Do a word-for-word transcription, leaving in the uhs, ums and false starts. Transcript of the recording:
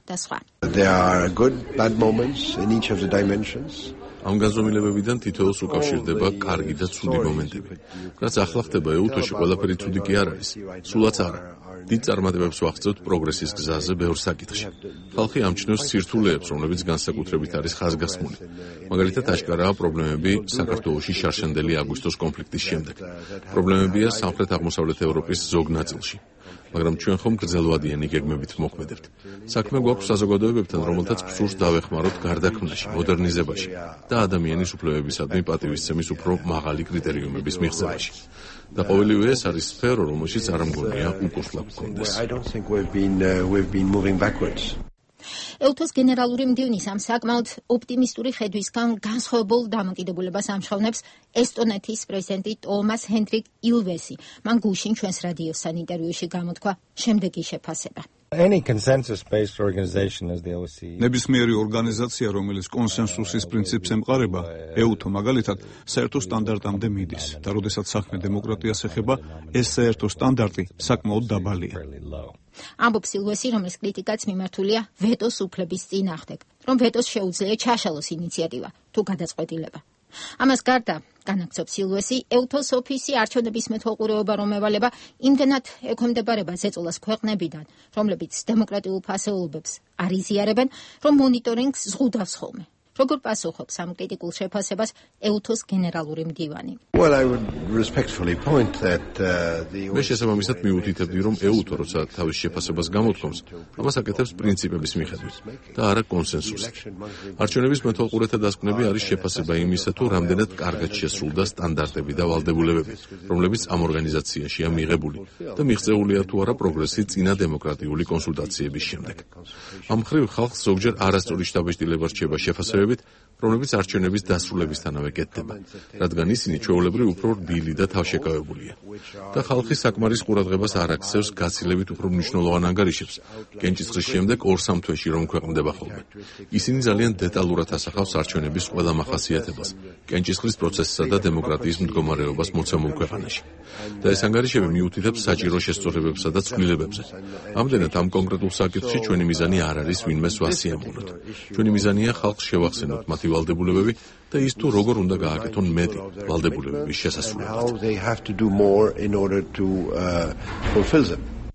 და სხვა. There are good bad moments in each of the dimensions. ამ განზომილებებიდან თითოეულს უკავშირდება კარგი და ცუდი მომენტები. რაც ახლა ხდება ეუთოში, ყველაფერი ცუდი კი არ არის, სულაც არა. დიდ წარმატებებს ვახცევთ პროგრესის გზაზე ბევრ საკითხში. ხალხი ამჩნევს სირთულეებს, რომლებიც განსაკუთრებით არის ხაზგასმული. მაგალითად, აშკარაა პრობლემები საქართველოში შარშანდელი აგვისტოს კონფლიქტის შემდეგ. პრობლემებია სამხრეთ-აღმოსავლეთ ევროპის ზოგ ნაწილში. მაგრამ ჩვენ ხომ გრძელვადიანი გეგმებით მოქმედებთ. საქმე გვაქვს საზოგადოებებთან, რომელთაც ფსურს დავეხმაროთ გარდაქმნაში, მოდერნიზებაში და ადამიანის უფლებებისადმი პატივისცემის უფრო მაღალი კრიტერიუმების მიღწევაში. და ყოველივე ეს არის სფერო, რომელშიც არ მგონია უკუსლა გქონდეს. ეუთოს გენერალური მდივნის ამ საკმაოდ ოპტიმისტური ხედვისგან განსხვავებულ დამოკიდებულებას ამჟღავნებს ესტონეთის პრეზიდენტი ტომას ჰენდრიკ ილვესი. მან გუშინ ჩვენს რადიოსთან ინტერვიუში გამოთქვა შემდეგი შეფასება. Any consensus-based organization as the O S C E. ნებისმიერი ორგანიზაცია, რომელიც კონსენსუსის პრინციპს ემყარება, ეუთო მაგალითად, საერთო სტანდარტამდე მიდის და როდესაც საქმე დემოკრატიას ეხება, ეს საერთო სტანდარტი საკმაოდ დაბალია. ამბობს ილვესი, რომლის კრიტიკაც მიმართულია ვეტოს უფლების წინააღმდეგ, რომ ვეტოს შეუძლია ჩაშალოს ინიციატივა თუ გადაწყვეტილება. ამას გარდა განაგრძობს ილვესი, ეუთოს ოფისი არჩევნების მეთვალყურეობა რომ ევალება იმდენად ექვემდებარება ზეწოლას ქვეყნებიდან, რომლებიც დემოკრატიულ ფასეულობებს არ იზიარებენ, რომ მონიტორინგს ზღუდავს ხოლმე. როგორ პასუხობს ამ კრიტიკულ შეფასებას ეუთოს გენერალური მდივანი? Well, I would respectfully point that uh, the მე შესაბამისად მიუთითებდი, რომ ეუთო, როცა თავის შეფასებას გამოთქვამს, ამას აკეთებს პრინციპების მიხედვით და არა კონსენსუსით. არჩევნების მეთვალყურეთა დასკვნები არის შეფასება იმისა, თუ რამდენად კარგად შესრულდა სტანდარტები და ვალდებულებები, რომლებიც ამ ორგანიზაციაშია მიღებული და მიღწეულია თუ არა პროგრესი წინა დემოკრატიული კონსულტაციების შემდეგ. ამ მხრივ ხალხს ზოგჯერ არასწორი შთაბეჭდილება რჩება შეფასებები, რომლებიც არჩევნების დასრულებისთანავე კეთდება, რადგან ისინი ჩვეულებრივ უფრო რბილი და თავშეკავებულია. და ხალხი საკმარის ყურადღებას არ აქცევს გაცილებით უფრო მნიშვნელოვან ანგარიშებს, კენჭისყრის შემდეგ ორ-სამ თვეში რომ ქვეყნდება ხოლმე. ისინი ძალიან დეტალურად ასახავს არჩევნების ყველა მახასიათებას, კენჭისყრის პროცესსა და დემოკრატიის მდგომარეობას მოცემულ ქვეყანაში. და ეს ანგარიშები მიუთითებს საჭირო შესწორებებსა და ცვლილებებზე. ამდენად ამ კონკრეტულ საკითხში ჩვენი მიზანი არ არის ვინმეს ვასიამოვნოთ. ჩვენი მიზანია ხალხს შევახსენოთ მათი ვალდებულებები და ის თუ როგორ უნდა გააკეთონ მეტი ვალდებულებების შესასრულებლად. How they have to do more in order to uh, fulfill them.